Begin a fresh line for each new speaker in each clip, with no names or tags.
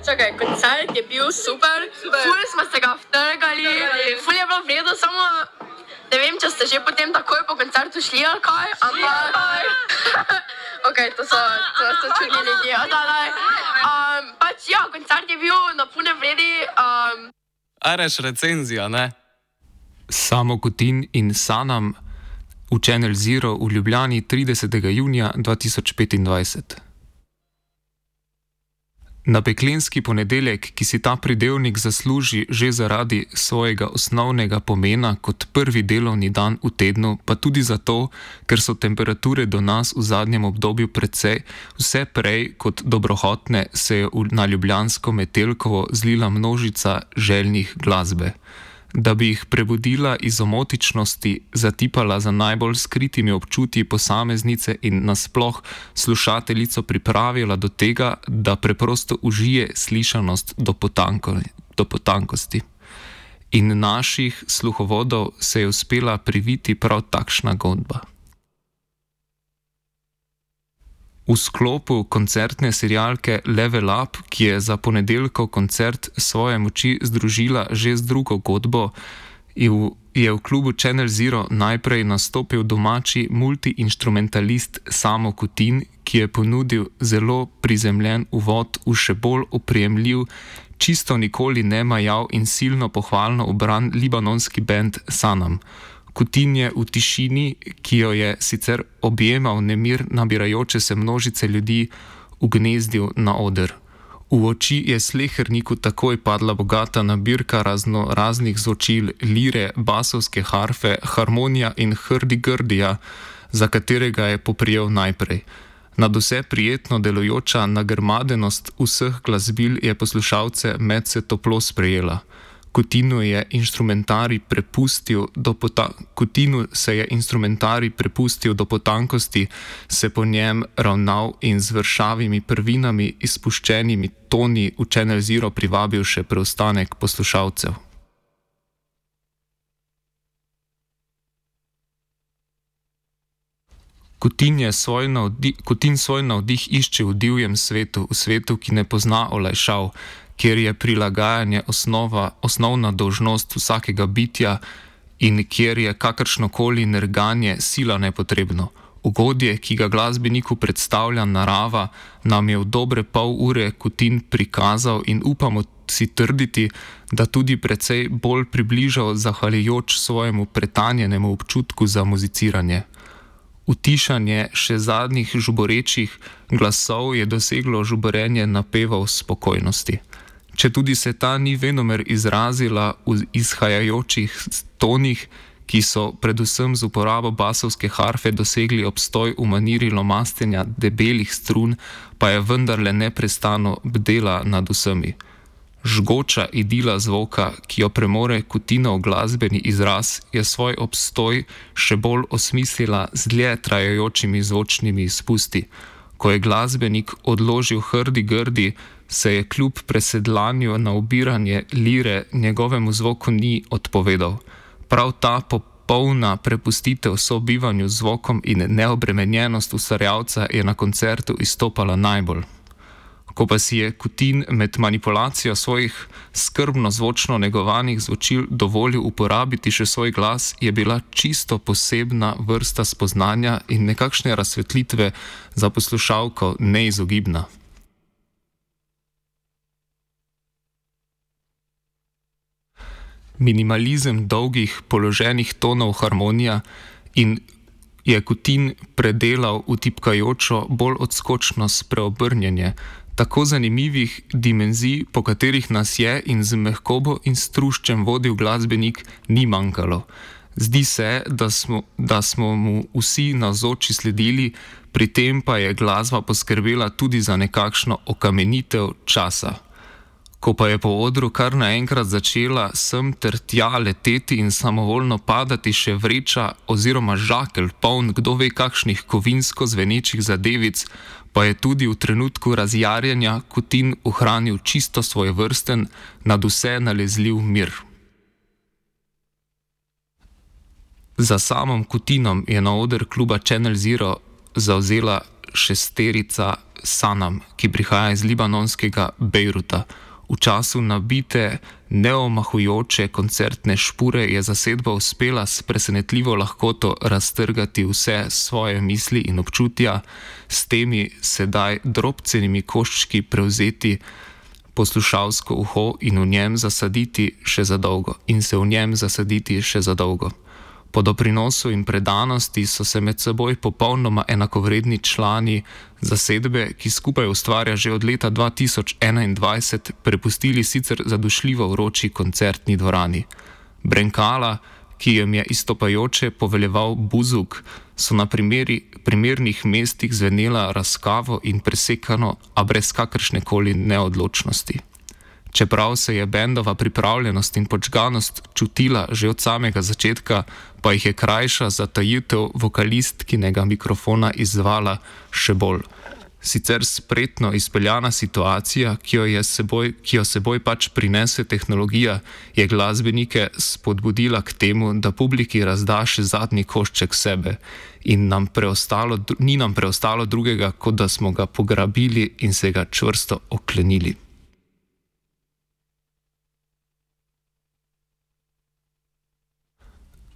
Čakaj, koncert je bil super. Ful smo se ga vtrgali, ful je bilo vredo, samo ne vem, če ste že potem takoj po koncertu šli ali kaj, ampak... Ok, to so čudni ljudje. Pač ja, koncert je bil na pune vredi.
Areš recenzija, ne?
Samo Kutin in Sanam v Channel Zero v Ljubljani 30. junija 2025. Na peklenski ponedeljek, ki si ta pridevnik zasluži že zaradi svojega osnovnega pomena kot prvi delovni dan v tednu, pa tudi zato, ker so temperature do nas v zadnjem obdobju precej vse prej kot dobrohotne, se je na ljubljansko Metelkovo zlila množica željnih glasbe. Da bi jih prebudila iz omotičnosti, zatipala za najbolj skritimi občutji posameznice in nasploh slušateljico pripravila do tega, da preprosto užije slišanost do potankosti. In naših sluhovodov se je uspela priviti prav takšna godba. V sklopu koncertne serialke Level Up, ki je za ponedeljkov koncert svoje moči združila že z drugo godbo, je v klubu Channel Zero najprej nastopil domači multiinstrumentalist Samo Kutin, ki je ponudil zelo prizemljen uvod v še bolj oprijemljiv, čisto nikoli ne majav in silno pohvalno ubran libanonski bend Sanam. Kutin je v tišini, ki jo je sicer objemal nemir nabirajoče se množice ljudi, ugnezdil na oder. V oči je sleherniku takoj padla bogata nabirka raznih zvočil, lire, basovske harfe, harmonija in hrdi-grdija, za katerega je poprijel najprej. Nadvse prijetno delujoča nagrmadenost vseh glasbil je poslušalce medse toplo sprejela. Kutinu se je instrumentarij prepustil do potankosti, se po njem ravnal in z vršavimi prvinami izpuščenimi toni v Channel Zero privabil še preostanek poslušalcev. Kutin svoj navdih išče v divjem svetu, v svetu, ki ne pozna olajšav, kjer je prilagajanje osnovna dolžnost vsakega bitja in kjer je kakršnokoli nerganje sila nepotrebno. Ugodje, ki ga glasbeniku predstavlja narava, nam je v dobre pol ure Kutin prikazal in upamo si trditi, da tudi precej bolj približal zahvaljujoč svojemu pretanjenemu občutku za muziciranje. Utišanje še zadnjih žuborečih glasov je doseglo žuborenje napevov spokojnosti. Če tudi se ta ni venomer izrazila v izhajajočih tonih, ki so predvsem z uporabo basovske harfe dosegli obstoj v maniri lomastenja debelih strun, pa je vendarle neprestano bdela nad vsemi. Žgoča idila zvoka, ki jo premore Kutinov glasbeni izraz, je svoj obstoj še bolj osmislila z dlje trajajočimi zvočnimi izpusti. Ko je glasbenik odložil hrdi-grdi, se je kljub presedlanju na ubiranje lire njegovemu zvoku ni odpovedal. Prav ta popolna prepustitev sobivanju z zvokom in neobremenjenost ustvarjalca je na koncertu izstopala najbolj. Ko pa si je Kutin med manipulacijo svojih skrbno zvočno negovanih zvočil dovolil uporabiti še svoj glas, je bila čisto posebna vrsta spoznanja in nekakšne razsvetlitve za poslušalko neizogibna. Minimalizem dolgih položenih tonov harmonija in je Kutin predelal v tipkajočo, bolj odskočno spreobrnjenje, tako zanimivih dimenzij, po katerih nas je in z mehkobo in struščem vodil glasbenik, ni manjkalo. Zdi se, da smo mu vsi navzoči sledili, pri tem pa je glasba poskrbela tudi za nekakšno okamenitev časa. Ko pa je po odru kar naenkrat začela sem ter tja leteti in samovoljno padati še vreča oziroma žakelj poln kdo ve kakšnih kovinsko zvenečih zadevic, pa je tudi v trenutku razjarjenja Kutin ohranil čisto svojevrsten, nadvse nalezljiv mir. Za samim Kutinom je na oder kluba Channel Zero zavzela šesterica Sanam, ki prihaja iz libanonskega Bejruta. V času nabite, neomahujoče koncertne špure je zasedba uspela s presenetljivo lahkoto raztrgati vse svoje misli in občutja, s temi sedaj drobcenimi koščki prevzeti poslušalsko uho in v njem zasaditi še za dolgo. Po doprinosu in predanosti so se med seboj popolnoma enakovredni člani zasedbe, ki skupaj ustvarja že od leta 2021, prepustili sicer zadušljivo vroči koncertni dvorani. Brenkala, ki jim je izstopajoče poveljeval Buzuk, so na primernih mestih zvenela razkavo in presekano, a brez kakršnekoli neodločnosti. Čeprav se je bendova pripravljenost in podžganost čutila že od samega začetka, pa jih je krajša zatajitev vokalistkinega mikrofona izzvala še bolj. Sicer spretno izpeljana situacija, ki jo seboj pač prinese tehnologija, je glasbenike spodbudila k temu, da publiki razda še zadnji košček sebe in ni nam preostalo drugega, kot da smo ga pograbili in se ga čvrsto oklenili.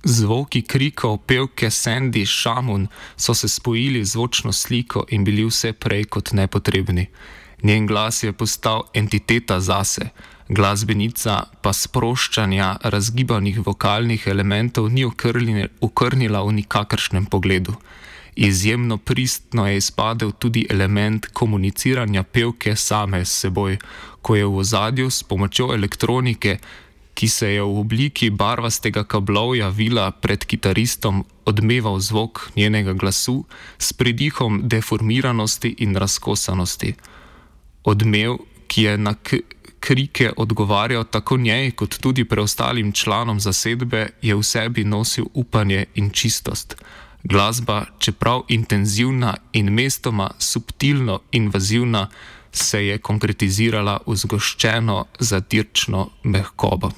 Zvoki krikov pevke Sandy Shamoun so se spojili z zvočno sliko in bili vse prej kot nepotrebni. Njen glas je postal entiteta zase, glasbenica pa sproščanja razgibanih vokalnih elementov ni okrnila v nikakršnem pogledu. Izjemno pristno je izpadel tudi element komuniciranja pevke same s seboj, ko je v ozadju s pomočjo elektronike, ki se je v obliki barvastega kablovja vila pred kitaristom, odmeval zvok njenega glasu s pridihom deformiranosti in razkosanosti. Odmev, ki je na krike odgovarjal tako njej kot tudi preostalim članom zasedbe, je v sebi nosil upanje in čistost. Glasba, čeprav intenzivna in mestoma subtilno invazivna, se je konkretizirala v zgoščeno, zadirčno mehkobo.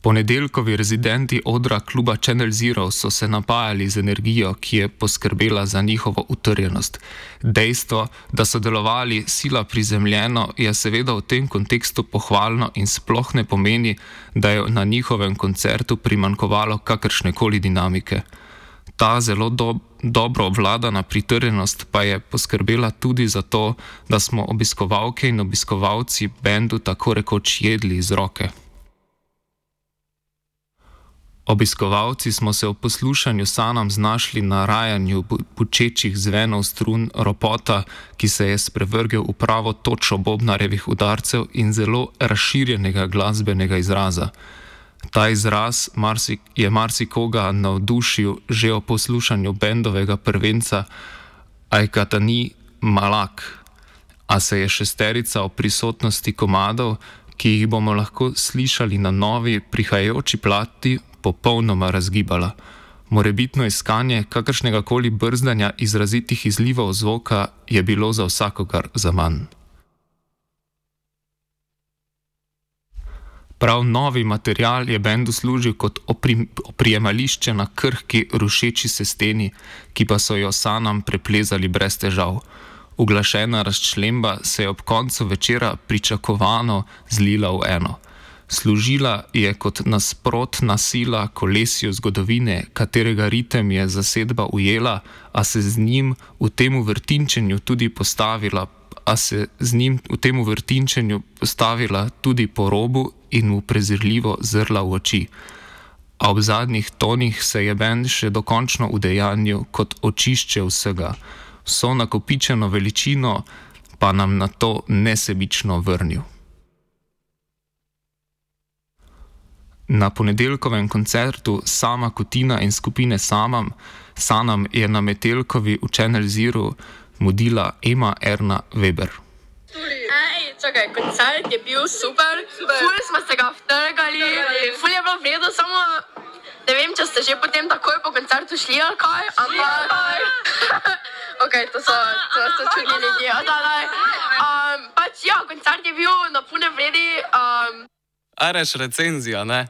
Ponedeljkovi rezidenti odra kluba Channel Zero so se napajali z energijo, ki je poskrbela za njihovo utrjenost. Dejstvo, da so delovali sila prizemljeno, je seveda v tem kontekstu pohvalno in sploh ne pomeni, da je na njihovem koncertu primanjkovalo kakršnekoli dinamike. Ta zelo dobro obvladana pritrjenost pa je poskrbela tudi za to, da smo obiskovalke in obiskovalci bendu tako rekoč jedli iz roke. Obiskovalci smo se v poslušanju Sanam znašli na rajanju bučečih zvenov strun ropota, ki se je sprevrgel v pravo točo bobnarjevih udarcev in zelo razširjenega glasbenega izraza. Ta izraz je marsikoga navdušil že o poslušanju bendovega prvenca Ajkatani Malak, a se je šesterica o prisotnosti komadov, ki jih bomo lahko slišali na novi prihajajoči plati, popolnoma razgibala. Morebitno iskanje kakršnega koli brzdanja izrazitih izlivov zvoka je bilo za vsakogar zaman. Prav novi material je bendu služil kot oprijemališče na krhki, rušeči se steni, ki pa so jo Sanam preplezali brez težav. Uglašena razčlemba se je ob koncu večera pričakovano zlila v eno. Služila je kot nasprotna sila kolesju zgodovine, katerega ritem je zasedba ujela, a se z njim v tem vrtinčenju postavila tudi po robu in mu prezirljivo zrla v oči. A ob zadnjih tonih se je bend še dokončno udejanjil kot očišče vsega, vso nakopičeno veličino pa nam na to nesebično vrnil. Na ponedeljkovem koncertu Sama Kutina in skupine Sanam je na Metelkovi v Channel Zero mudila Ema Erna Weber.
Čakaj, koncert je bil super, ful smo se ga vtrgali, ful je bilo v redu, samo ne vem, če ste že potem takoj po koncertu šli ali kaj, ampak ok, to so čudni ljudje, pač ja, koncert je bil na pune vredi.
Areš recenzija, ne?